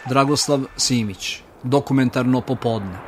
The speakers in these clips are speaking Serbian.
Dragoslav Simić, Dokumentarno popodne.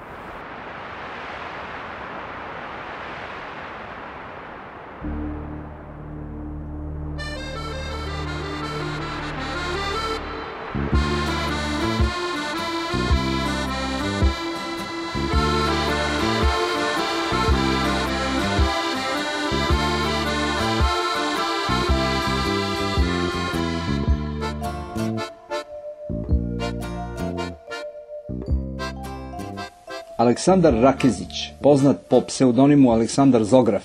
Aleksandar Rakezić, poznat po pseudonimu Aleksandar Zograf,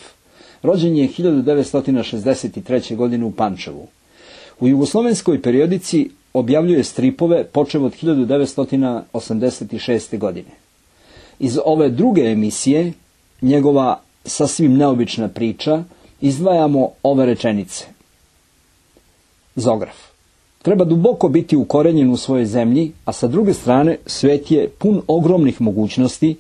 rođen je 1963. godine u Pančevu. U jugoslovenskoj periodici objavljuje stripove počev od 1986. godine. Iz ove druge emisije, njegova sasvim neobična priča, izdvajamo ove rečenice. Zograf. Treba duboko biti ukorenjen u svojoj zemlji, a sa druge strane svet je pun ogromnih mogućnosti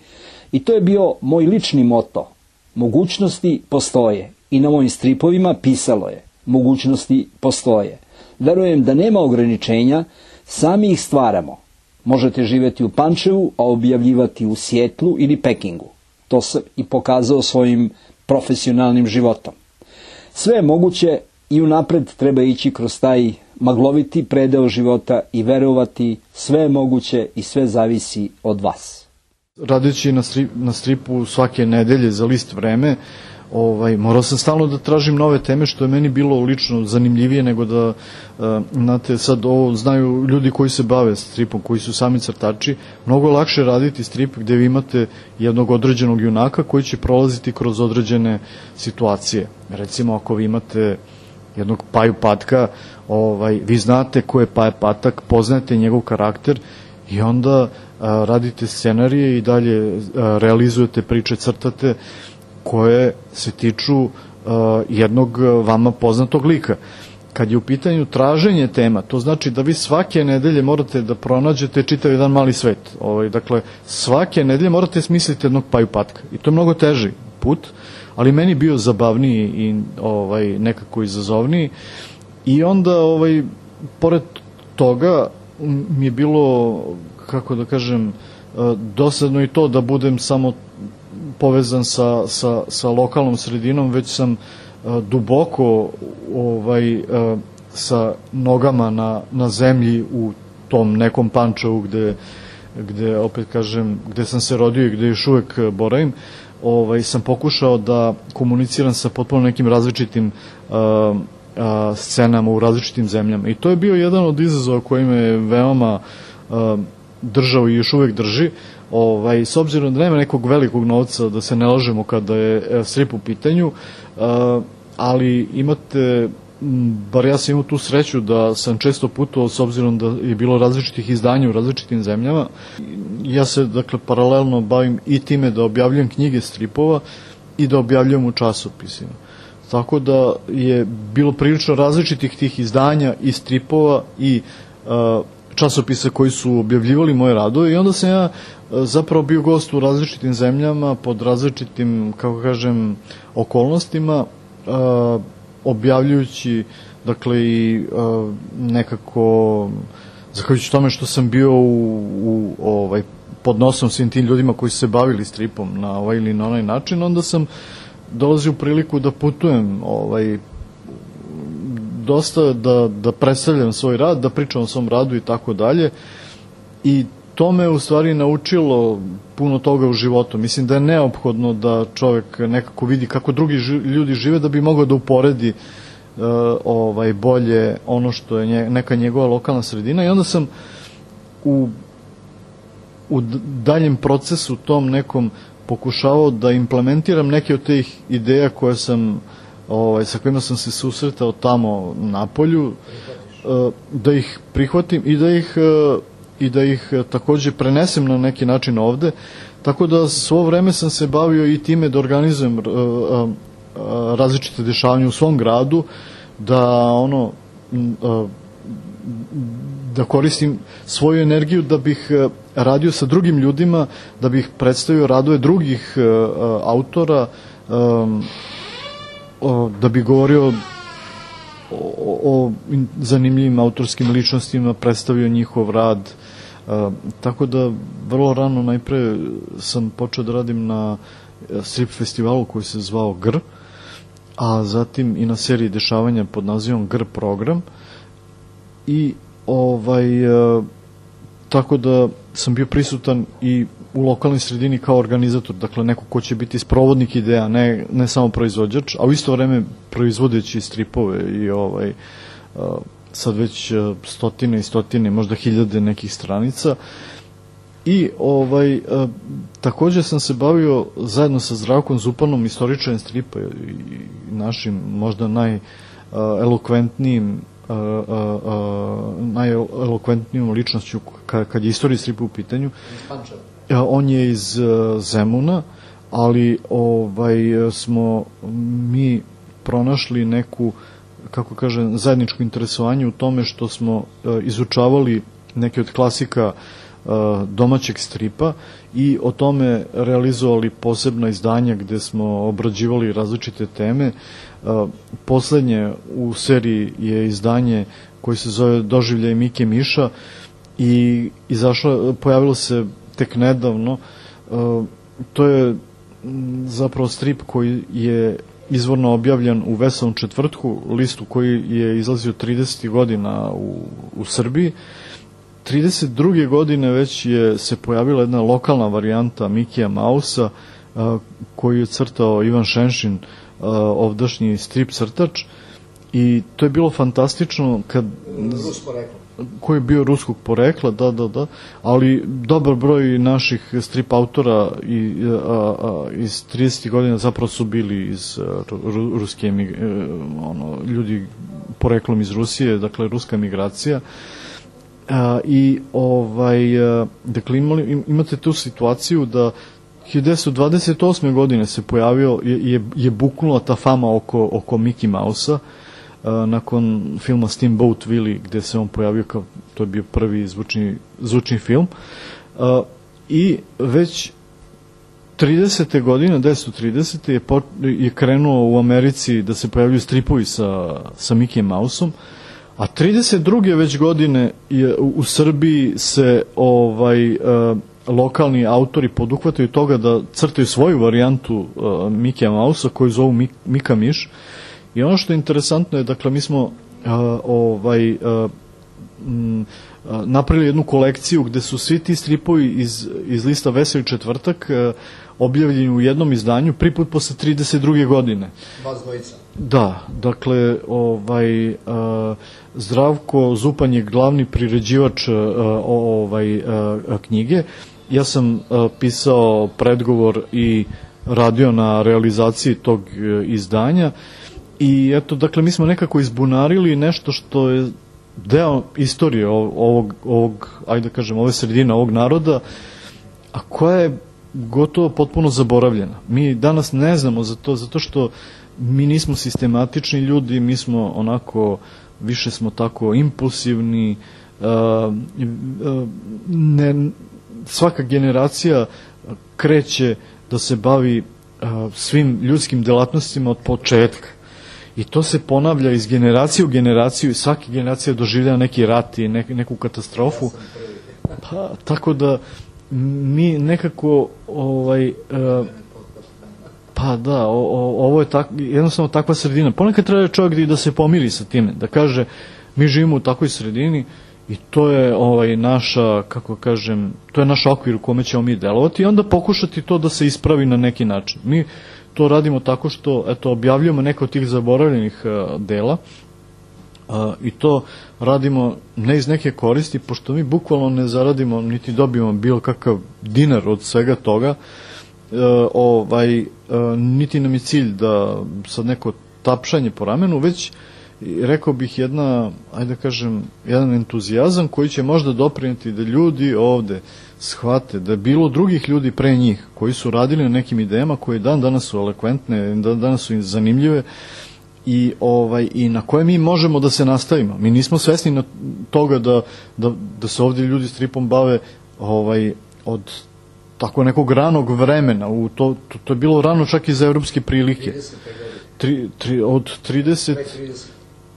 i to je bio moj lični moto. Mogućnosti postoje i na mojim stripovima pisalo je. Mogućnosti postoje. Verujem da nema ograničenja, sami ih stvaramo. Možete živjeti u Pančevu, a objavljivati u Sjetlu ili Pekingu. To sam i pokazao svojim profesionalnim životom. Sve je moguće i unapred treba ići kroz taj magloviti predeo života i verovati sve je moguće i sve zavisi od vas. Radeći na stripu svake nedelje za list Vreme, morao sam stalno da tražim nove teme, što je meni bilo lično zanimljivije nego da, znate, sad ovo znaju ljudi koji se bave stripom, koji su sami crtači, mnogo lakše raditi strip gde vi imate jednog određenog junaka koji će prolaziti kroz određene situacije. Recimo, ako vi imate jednog Paju Patka, vi znate ko je Paja Patak, poznajete njegov karakter i onda radite scenarije i dalje realizujete priče, crtate koje se tiču jednog vama poznatog lika. Kad je u pitanju traženje tema, to znači da vi svake nedelje morate da pronađete čitav jedan mali svet. Dakle, svake nedelje morate smisliti jednog Paju Patka i to je mnogo teži put, ali meni bio zabavniji i nekako izazovniji. I onda, pored toga, mi je bilo, kako da kažem, dosadno i to da budem samo povezan sa lokalnom sredinom, već sam duboko sa nogama na zemlji u tom nekom Pančevu gde, opet kažem, gde sam se rodio i gde još uvek boravim, sam pokušao da komuniciram sa potpuno nekim različitim scenama u različitim zemljama. I to je bio jedan od izazova koji me veoma držao i još uvek drži. S obzirom da nema nekog velikog novca, da se ne lažemo kada je strip u pitanju, ali imate, bar ja sam imao tu sreću da sam često putovao, s obzirom da je bilo različitih izdanja u različitim zemljama. Ja se, dakle, paralelno bavim i time da objavljujem knjige stripova i da objavljujem u časopisima. Tako da je bilo prilično različitih tih izdanja i stripova i časopisa koji su objavljivali moje radove i onda sam ja zapravo bio gost u različitim zemljama pod različitim, kako kažem, okolnostima, objavljujući, dakle, i nekako, zahvaljujući tome što sam bio pod nosom svim tim ljudima koji su se bavili stripom na ovaj ili na onaj način, onda sam dolazio u priliku da putujem dosta, da predstavljam svoj rad, da pričam o svom radu i tako dalje. I to me u stvari naučilo puno toga u životu. Mislim da je neophodno da čovek nekako vidi kako drugi ljudi žive da bi mogao da uporedi bolje ono što je neka njegova lokalna sredina. I onda sam u daljem procesu tom nekom pokušavao da implementiram neke od tih ideja koje sam, sa kojima sam se susretao tamo na polju, da ih prihvatim i da ih takođe prenesem na neki način ovde, tako da svo vreme sam se bavio i time da organizujem različite dešavanja u svom gradu, da koristim svoju energiju da bih radio sa drugim ljudima, da bih predstavio radove drugih autora, da bih govorio o zanimljivim autorskim ličnostima, predstavio njihov rad, Tako da vrlo rano najpre sam počeo da radim na strip festivalu koji se zvao GR, a zatim i na seriji dešavanja pod nazivom GR program i tako da sam bio prisutan i u lokalnoj sredini kao organizator, dakle neko ko će biti sprovodnik ideja, ne samo proizvođač, a u isto vreme proizvodeći stripove i sad već stotine i stotine, možda hiljade nekih stranica. I takođe sam se bavio zajedno sa Zdravkom Zupanom, istoričarem stripa i našim možda najelokventnijom ličnošću kad je istorija stripa u pitanju. On je iz Zemuna, ali smo mi pronašli neku, kako kažem, zajedničko interesovanje u tome što smo izučavali neke od klasika domaćeg stripa i o tome realizovali posebna izdanja gde smo obrađivali različite teme. Poslednje u seriji je izdanje koje se zove Doživljaj Mike Miša i pojavilo se tek nedavno. To je zapravo strip koji je izvorno objavljen u Veselom četvrtku, listu koji je izlazio 30. godina u Srbiji. 32. godine već se pojavila jedna lokalna varijanta Mikija Mausa koju je crtao Ivan Šenšin, ovdašnji strip crtač, i to je bilo fantastično koji je bio ruskog porekla, da, ali dobar broj naših strip autora iz 30. godina zapravo su bili iz ruske ljudi poreklom iz Rusije, dakle ruska migracija. I dakle imate tu situaciju da 1928. godine se pojavio, je buknula ta fama oko Mickey Mausa nakon filma Steamboat Willie, gde se on pojavio kao, to je bio prvi zvučni film, i već 30. godine, 1930. je krenuo u Americi da se pojavljuju stripovi sa Mickey Mausom, a 32. već godine u Srbiji se lokalni autori poduhvataju toga da crtaju svoju varijantu Mikija Mausa koju zovu Mika Miš. I ono što je interesantno je, dakle, mi smo napravili jednu kolekciju gde su svi ti stripovi iz lista Veseli četvrtak objavljeni u jednom izdanju, prvi put posle 32. godine. Vas dvojica. Da, dakle, Zdravko Zupan je glavni priređivač knjige. Ja sam pisao predgovor i radio na realizaciji tog izdanja i eto, dakle, mi smo nekako izbunarili nešto što je deo istorije ovog, ajde da kažem, ove sredine, ovog naroda, a koja je gotovo potpuno zaboravljena. Mi danas ne znamo za to, zato što mi nismo sistematični ljudi, mi smo onako, više smo tako impulsivni, svaka generacija kreće da se bavi svim ljudskim delatnostima od početka. I to se ponavlja iz generacije u generaciju i svaki generacija doživlja neki rat i neku katastrofu. Pa, tako da mi nekako pa da, ovo je jednostavno takva sredina. Ponekad treba čovjek da se pomiri sa time, da kaže mi živimo u takvoj sredini i to je naša, kako kažem, to je naš okvir u kome ćemo mi delovati i onda pokušati to da se ispravi na neki način. Mi to radimo tako što, eto, objavljujemo neke od tih zaboravljenih dela i to radimo ne iz neke koristi, pošto mi bukvalno ne zaradimo niti dobijemo bilo kakav dinar od svega toga, niti nam je cilj da sad neko tapšanje po ramenu, već rekao bih ajde kažem, jedan entuzijazam koji će možda doprineti da ljudi ovde shvate da je bilo drugih ljudi pre njih koji su radili na nekim idejama koje danas su elokventne, danas su zanimljive i na koje mi možemo da se nastavimo. Mi nismo svesni na toga da se ovde ljudi stripom bave od tako nekog ranog vremena. To je bilo rano čak i za evropske prilike. Od 30...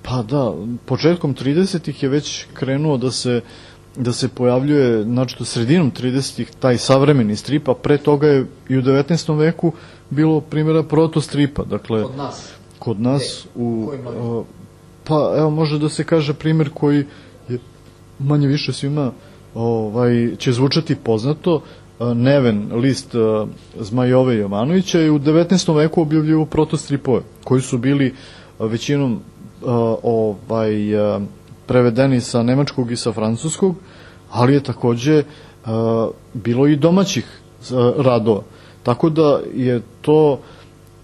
Pa da, početkom 30-ih je već krenuo da se da se pojavljuje, znači sredinom 30-ih taj savremeni strip, a pre toga je i u 19. veku bilo primjera protostripa, dakle kod nas pa evo može da se kaže primjer koji je manje više svima će zvučati poznato. Neven, list Zmajove Jovanovića je u 19. veku objavljivao protostripove koji su bili većinom prevedeni sa nemačkog i sa francuskog, ali je takođe bilo i domaćih radova. Tako da je to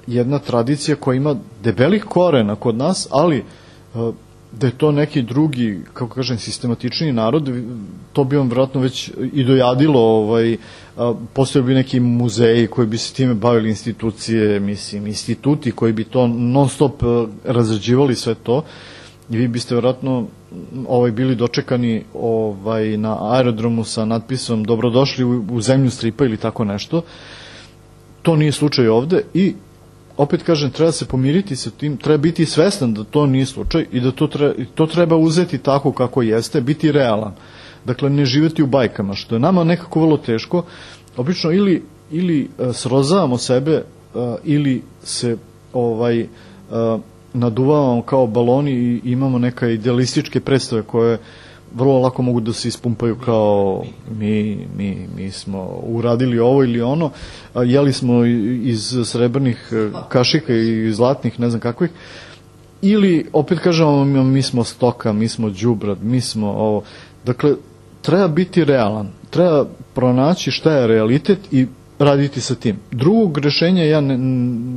jedna tradicija koja ima debelih korena kod nas, ali da je to neki drugi, kako kažem, sistematični narod, to bi vam vjerojatno već i dojadilo, postoje bi neki muzeji koji bi se time bavili, institucije, mislim, instituti koji bi to non stop razrađivali sve to, i vi biste vjerojatno bili dočekani na aerodromu sa natpisom dobrodošli u zemlju stripa ili tako nešto. To nije slučaj ovde i opet kažem, treba se pomiriti sa tim, treba biti svestan da to nije slučaj i da to treba uzeti tako kako jeste, biti realan. Dakle, ne živeti u bajkama, što je nama nekako vrlo teško. Obično ili srozavamo sebe ili se naduvavamo kao baloni i imamo neka idealističke predstave koje vrlo lako mogu da se ispumpaju kao mi smo uradili ovo ili ono, jeli smo iz srebrnih kašika i zlatnih, ne znam kakvih, ili opet kažemo mi smo stoka, mi smo đubrad, mi smo ovo. Dakle, treba biti realan, treba pronaći šta je realitet i raditi sa tim. Drugog rešenja ja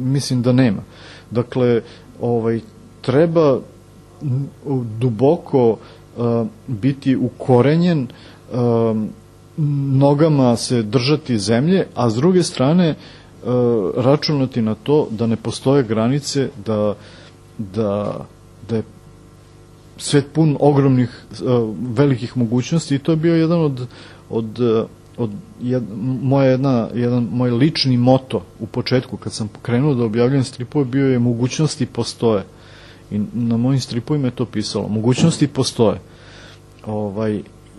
mislim da nema. Dakle, treba duboko biti ukorenjen, nogama se držati zemlje, a s druge strane računati na to da ne postoje granice, da je svet pun ogromnih velikih mogućnosti i to je bio jedan moj lični moto u početku kad sam krenuo da objavljujem stripove, bio je mogućnosti postoje. I na mojim stripovima je to pisalo. Mogućnosti postoje.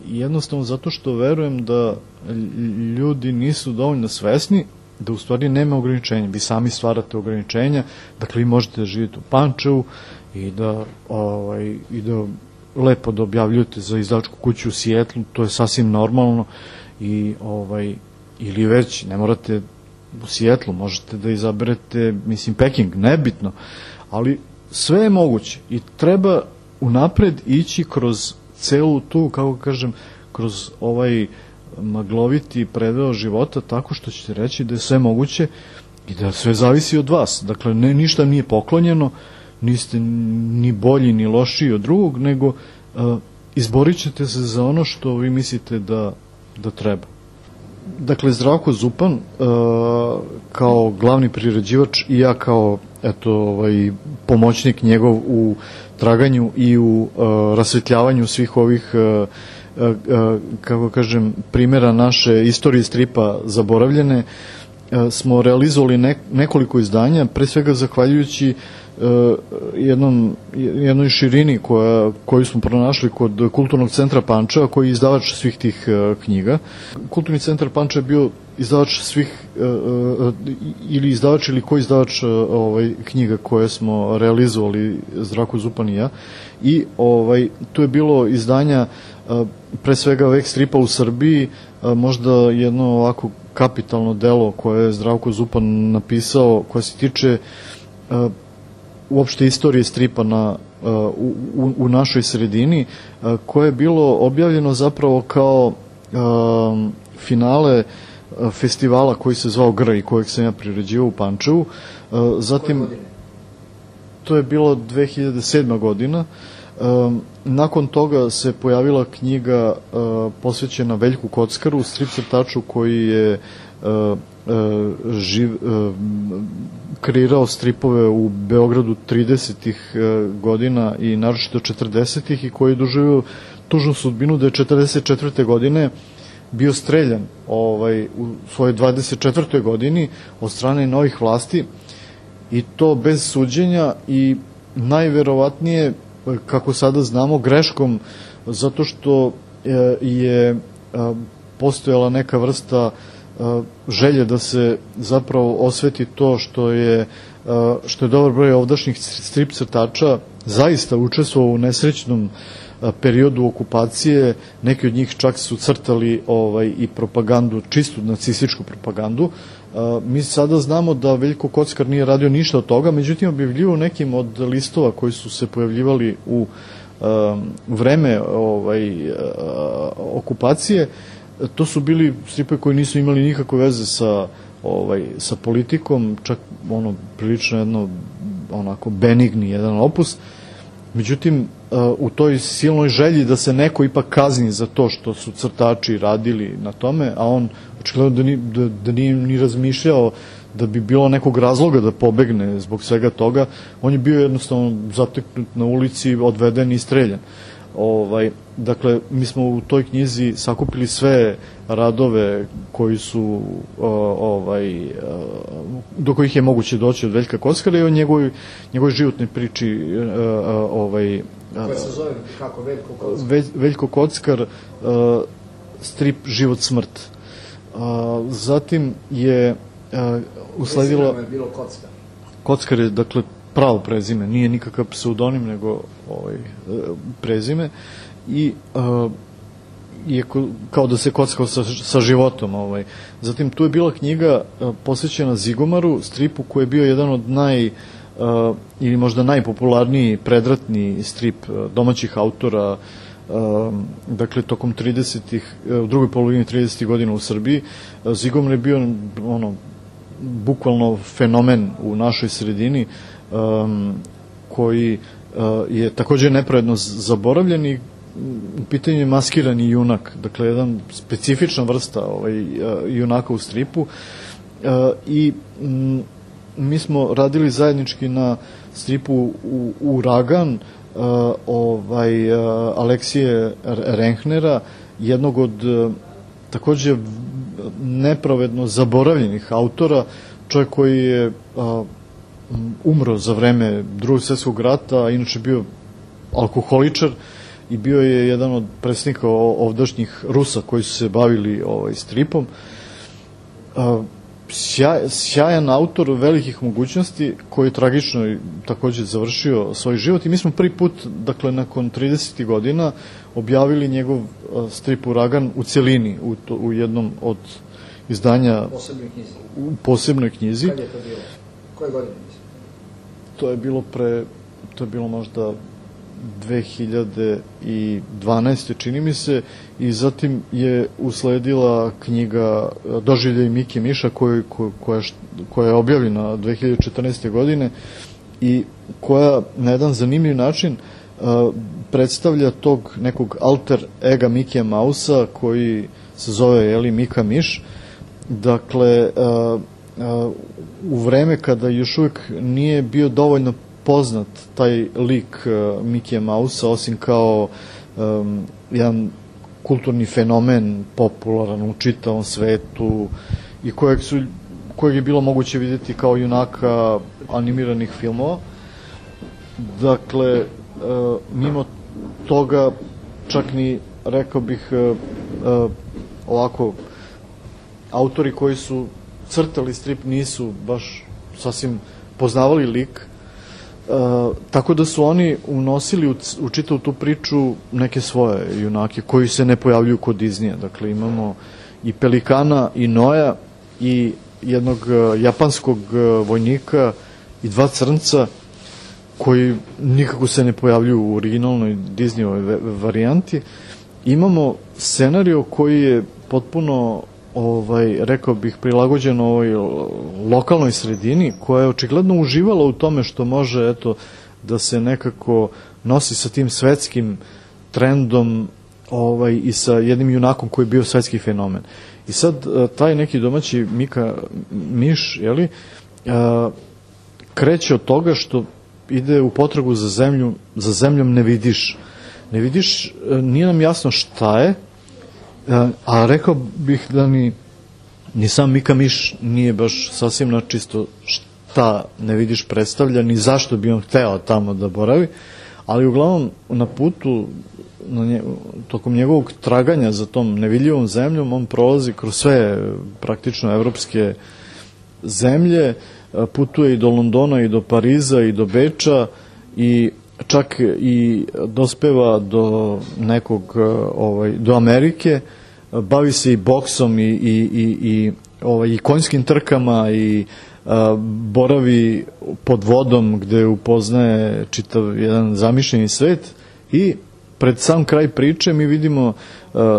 Jednostavno zato što verujem da ljudi nisu dovoljno svesni da u stvari nema ograničenja. Vi sami stvarate ograničenja, dakle vi možete da živite u Pančevu i da lepo da objavljujete za izdavačku kuću u Sijetlu, to je sasvim normalno ili već ne morate u Sijetlu, možete da izaberete, mislim, Peking, nebitno, ali sve je moguće i treba unapred ići kroz celu tu, kako kažem, kroz magloviti predeo života tako što ćete reći da je sve moguće i da sve zavisi od vas. Dakle, ništa nije poklonjeno, niste ni bolji ni lošiji od drugog, nego izborit ćete se za ono što vi mislite da treba. Dakle, Zdravko Zupan kao glavni priređivač i ja kao pomoćnik njegov u traganju i u rasvetljavanju svih ovih kako kažem primjera naše istorije stripa zaboravljene, smo realizovali nekoliko izdanja, pre svega zahvaljujući jednoj širini koju smo pronašli kod Kulturnog centra Pančeva, koji je izdavač svih tih knjiga. Kulturni centar Pančeva je bio izdavač svih ili izdavač ili koji izdavač knjiga koje smo realizovali Zdravko Zupan i ja, i tu je bilo izdanja pre svega vek stripa u Srbiji, možda jedno ovako kapitalno delo koje je Zdravko Zupan napisao, koje se tiče uopšte istorije stripa u našoj sredini, koje je bilo objavljeno zapravo kao finale festivala koji se zvao GR i kojeg sam ja priređivao u Pančevu. Zatim, to je bilo 2007. godina. Nakon toga se pojavila knjiga posvećena Veljku Kockaru, strip crtaču koji je kreirao stripove u Beogradu 30-ih godina i naročito 40-ih i koji je doživio tužnu sudbinu da je 44. godine bio streljan u svojoj 24. godini od strane novih vlasti, i to bez suđenja i najverovatnije, kako sada znamo, greškom, zato što je postojala neka vrsta želje da se zapravo osveti to što je dobar broj ovdašnjih strip crtača zaista učestvovao u nesrećnom periodu okupacije. Neki od njih čak su crtali i propagandu, čistu nacističku propagandu. Mi sada znamo da Veljko Kockar nije radio ništa od toga, međutim objavljivo nekim od listova koji su se pojavljivali u vreme okupacije. To su bili stripe koji nisu imali nikakve veze sa politikom, čak prilično jedno onako benigni jedan opus. Međutim, u toj silnoj želji da se neko ipak kazni za to što su crtači radili na tome, a on očigledno da nije ni razmišljao da bi bilo nekog razloga da pobegne zbog svega toga, on je bio jednostavno zateknut na ulici, odveden i streljan. Dakle, mi smo u toj knjizi sakupili sve radove koji su do kojih je moguće doći od Veljka Kockara i o njegovoj životnoj priči koja se zove kako Veljko Kockar? Veljko Kockar, strip Život smrt. Zatim je usledilo... Prezime je bilo Kockar. Kockar je, dakle, pravo prezime, nije nikakav pseudonim, nego prezime, i je kao da se kockao sa životom. Zatim tu je bila knjiga posvećena Zigomaru, stripu koji je bio jedan od ili možda najpopularniji predratni strip domaćih autora, dakle tokom 30-ih, u drugoj polovini 30-ih godina u Srbiji. Zigomar je bio bukvalno fenomen u našoj sredini, koji je takođe nepravedno zaboravljen i u pitanju je maskirani junak, dakle jedan specifična vrsta junaka u stripu, i mi smo radili zajednički na stripu Uragan Aleksije Rehnera, jednog od takođe nepravedno zaboravljenih autora, čovjek koji je umro za vreme Drugog svjetskog rata, a inače bio alkoholičar i bio je jedan od predstavnika ovdašnjih Rusa koji su se bavili stripom. Sjajan autor velikih mogućnosti koji je tragično takođe završio svoj život i mi smo prvi put, dakle nakon 30 godina, objavili njegov strip Uragan u celini u jednom od izdanja u posebnoj knjizi. Kad je to bilo? Koje godine? To je bilo možda 2012. čini mi se, i zatim je usledila knjiga Doživljaj Mike Miša koja je objavljena 2014. godine i koja na jedan zanimljiv način predstavlja tog nekog alter ega Mikija Mausa koji se zove Mika Miš. Dakle, u vreme kada još uvijek nije bio dovoljno poznat taj lik Mikija Mausa, osim kao jedan kulturni fenomen, popularan u čitavom svetu i kojeg je bilo moguće vidjeti kao junaka animiranih filmova. Dakle, mimo toga, čak ni, rekao bih, ovako, autori koji su crtali strip nisu baš sasvim poznavali lik, tako da su oni unosili u čitavu tu priču neke svoje junake koji se ne pojavljuju kod Disneya. Dakle, imamo i Pelikana i Noja i jednog japanskog vojnika i dva crnca koji nikako se ne pojavljuju u originalnoj Disneyovoj varijanti. Imamo scenario koji je potpuno rekao bih, prilagođen ovoj lokalnoj sredini, koja je očigledno uživala u tome što može, da se nekako nosi sa tim svetskim trendom i sa jednim junakom koji je bio svetski fenomen. I sad, taj neki domaći Mika Miš, kreće od toga što ide u potragu za zemljom ne vidiš. Ne vidiš, nije nam jasno šta je, a rekao bih da ni sam Mika Miš nije baš sasvim načisto šta ne vidiš predstavlja, ni zašto bi on hteo tamo da boravi, ali uglavnom na putu, tokom njegovog traganja za tom nevidljivom zemljom, on prolazi kroz sve praktično evropske zemlje, putuje i do Londona i do Pariza i do Beča i čak i dospeva do nekog, do Amerike, bavi se i boksom i konjskim trkama i boravi pod vodom gde upoznaje čitav jedan zamišljeni svet i pred sam kraj priče mi vidimo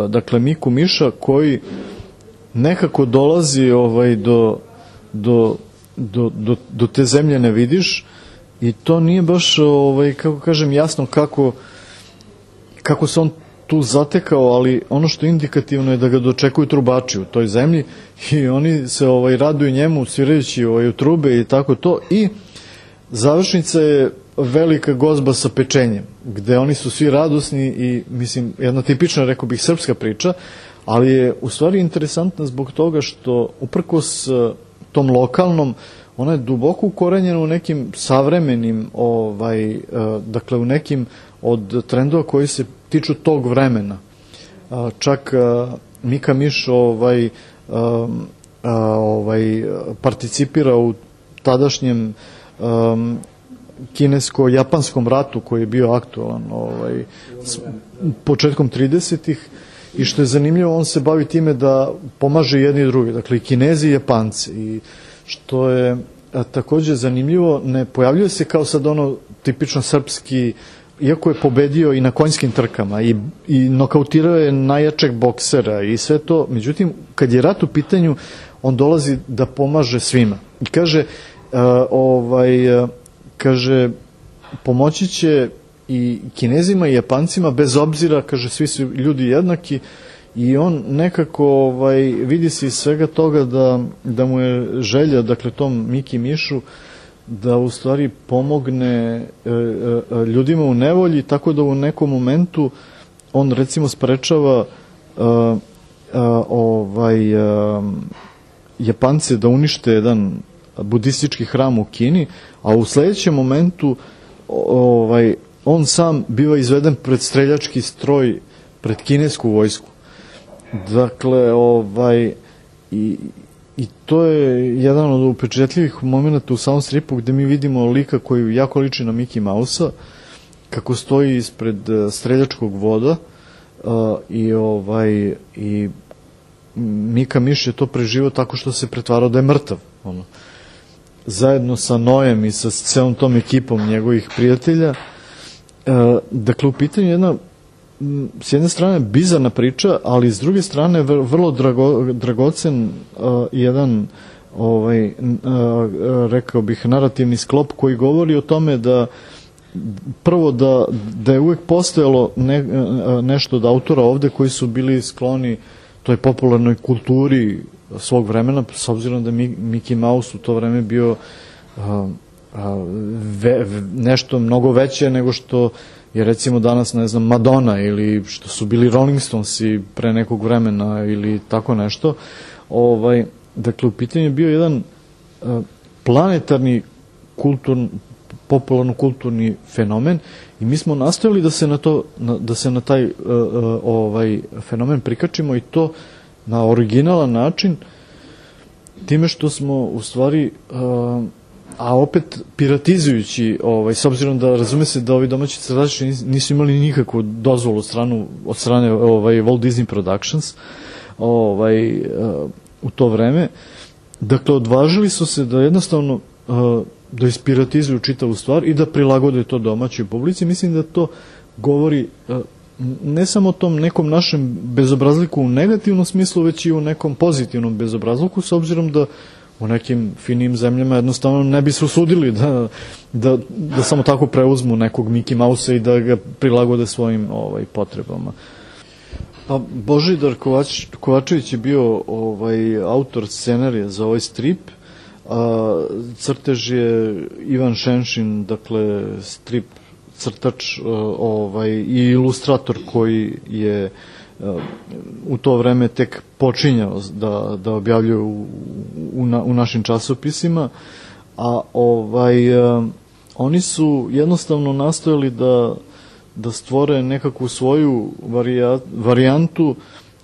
dakle Miku Miša koji nekako dolazi do te zemlje ne vidiš i to nije baš kako kažem jasno kako se on tu zatekao, ali ono što je indikativno je da ga dočekuju trubači u toj zemlji i oni se raduju njemu svirajući u trube i tako to i završnica je velika gozba sa pečenjem, gde oni su svi radosni i mislim jedna tipična, rekao bih, srpska priča, ali je u stvari interesantna zbog toga što uprkos tom lokalnom, ona je duboko ukorenjena u nekim savremenim, dakle u nekim od trendova koji se tiču tog vremena. Čak Mika Miš participira u tadašnjem kinesko-japanskom ratu koji je bio aktualan početkom 30-ih i što je zanimljivo, on se bavi time da pomaže jedni i drugi, dakle i Kinezi i Japanci, i što je takođe zanimljivo, ne pojavljuje se kao sad ono tipično srpski, iako je pobedio i na konjskim trkama i nokautirao je najjačeg boksera i sve to, međutim kad je rat u pitanju on dolazi da pomaže svima i kaže pomoći će i Kinezima i Japancima bez obzira, kaže svi su ljudi jednaki i on nekako vidi se iz svega toga da mu je želja, dakle tom Miki Mišu, da u stvari pomogne ljudima u nevolji, tako da u nekom momentu on recimo sprečava Japance da unište jedan budistički hram u Kini, a u sledećem momentu on sam biva izveden pred streljački stroj, pred kinesku vojsku. Dakle, i to je jedan od upečetljivih momenta u samom stripu gde mi vidimo lika koji jako liči na Mickey Mouse-a, kako stoji ispred streljačkog voda i Mika Miš je to preživao tako što se pretvarao da je mrtav. Zajedno sa Nojem i sa celom tom ekipom njegovih prijatelja. Dakle, u pitanju jedna s jedne strane bizarna priča, ali s druge strane vrlo dragocen jedan rekao bih narativni sklop koji govori o tome da prvo da je uvek postojalo nešto od autora ovde koji su bili skloni toj popularnoj kulturi svog vremena, s obzirom da Mickey Mouse u to vreme bio nešto mnogo veće nego što je recimo danas, ne znam, Madonna ili što su bili Rolling Stonesi pre nekog vremena ili tako nešto. Dakle, u pitanju je bio jedan planetarni popularno-kulturni fenomen i mi smo nastojali da se na taj fenomen prikačimo i to na originalan način, time što smo u stvari a opet piratizujući, s obzirom da razume se da ovi domaći crtači nisu imali nikakvu dozvolu od strane Walt Disney Productions u to vreme. Dakle, odvažili su se da jednostavno da ispiratizuju čitavu stvar i da prilagode to domaćoj publici. Mislim da to govori ne samo o tom nekom našem bezobrazluku u negativnom smislu, već i u nekom pozitivnom bezobrazluku, s obzirom da u nekim finim zemljama jednostavno ne bi se usudili da samo tako preuzmu nekog Mickey Mouse-a i da ga prilagode svojim potrebama. Pa Božidar Kovačević je bio autor scenarija za ovaj strip, crtež je Ivan Šenšin, dakle strip crtač i ilustrator koji je u to vreme tek počinjao da objavljuje u našim časopisima, a oni su jednostavno nastojali da stvore nekakvu svoju varijantu,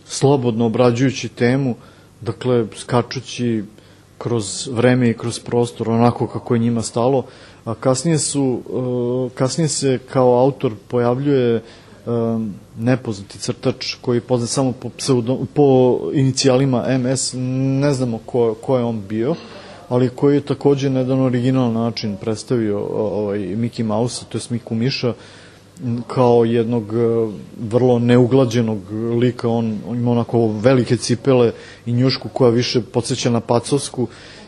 slobodno obrađujući temu, dakle skačući kroz vreme i kroz prostor, onako kako je njima stalo, a kasnije se kao autor pojavljuje nepoznati crtač koji je poznat samo po inicijalima MS, ne znamo ko je on bio, ali koji je takođe na jedan originalan način predstavio Mickey Mouse, to je Miku Miša, kao jednog vrlo neuglađenog lika. On ima onako velike cipele i njušku koja više podsjeća na pacovsku,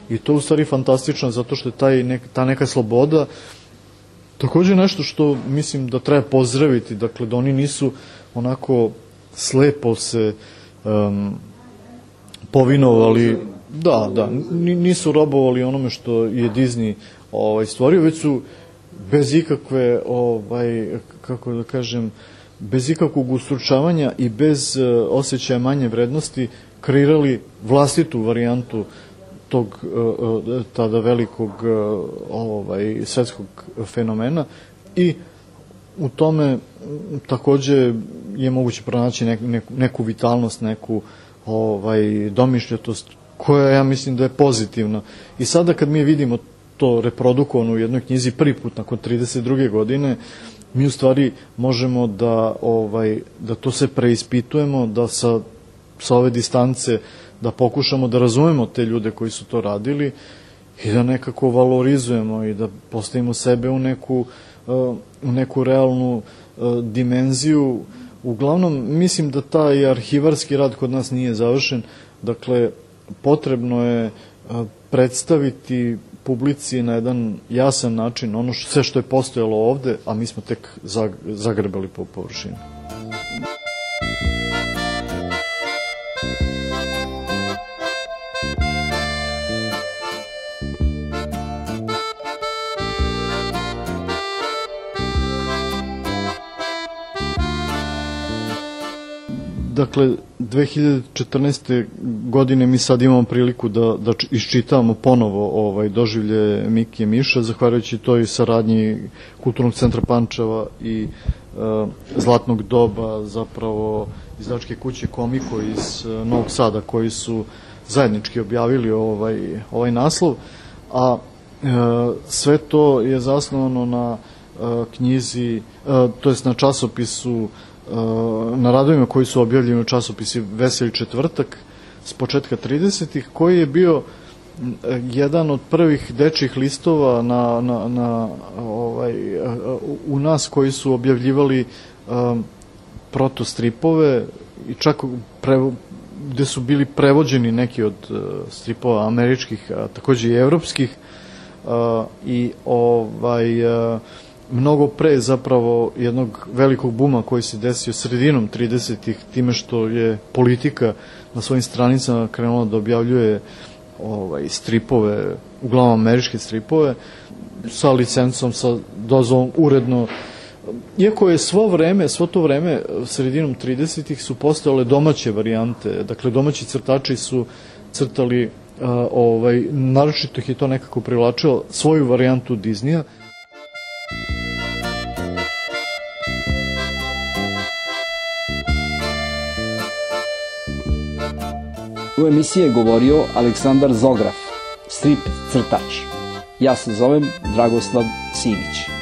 i to je u stvari fantastično zato što je ta neka sloboda takođe nešto što mislim da treba pozdraviti, dakle da oni nisu onako slepo se povinovali, da, nisu robovali onome što je Disney stvorio, već su bez ikakve, kako da kažem, bez ikakvog ustručavanja i bez osjećaja manje vrednosti kreirali vlastitu varijantu tog tada velikog svetskog fenomena, i u tome takođe je moguće pronaći neku vitalnost, neku domišljatost koja ja mislim da je pozitivna. I sada kad mi vidimo to reprodukovano u jednoj knjizi prvi put nakon 32. godine, mi u stvari možemo da to se preispitujemo, da sa ove distance da pokušamo da razumemo te ljude koji su to radili i da nekako valorizujemo i da postavimo sebe u neku realnu dimenziju. Uglavnom, mislim da taj arhivarski rad kod nas nije završen, dakle, potrebno je predstaviti publici na jedan jasan način sve što je postojalo ovde, a mi smo tek zagrebali po površini. Dakle, 2014. godine mi sad imamo priliku da iščitavamo ponovo doživlje Mikija Miša, zahvaljujući toj saradnji Kulturnog centra Pančeva i Zlatnog doba, zapravo izdavačke kuće Komiko iz Novog Sada, koji su zajednički objavili ovaj naslov, a sve to je zasnovano na knjizi, to jest na časopisu, na radovima koji su objavljeni u časopisi Veseli četvrtak s početka 30-ih, koji je bio jedan od prvih dečjih listova u nas koji su objavljivali protostripove, i čak gde su bili prevođeni neki od stripova američkih, a takođe i evropskih, i mnogo pre zapravo jednog velikog buma koji se desio sredinom 30-ih, time što je politika na svojim stranicama krenula da objavljuje stripove, uglavnom američke stripove, sa licencom, sa dozvolom, uredno. Iako je svo to vreme, sredinom 30-ih su postojale domaće varijante, dakle domaći crtači su crtali, naročito ih je to nekako privlačilo, svoju varijantu Disneya. U emisiji je govorio Aleksandar Zograf, strip crtač. Ja se zovem Dragoslav Simić.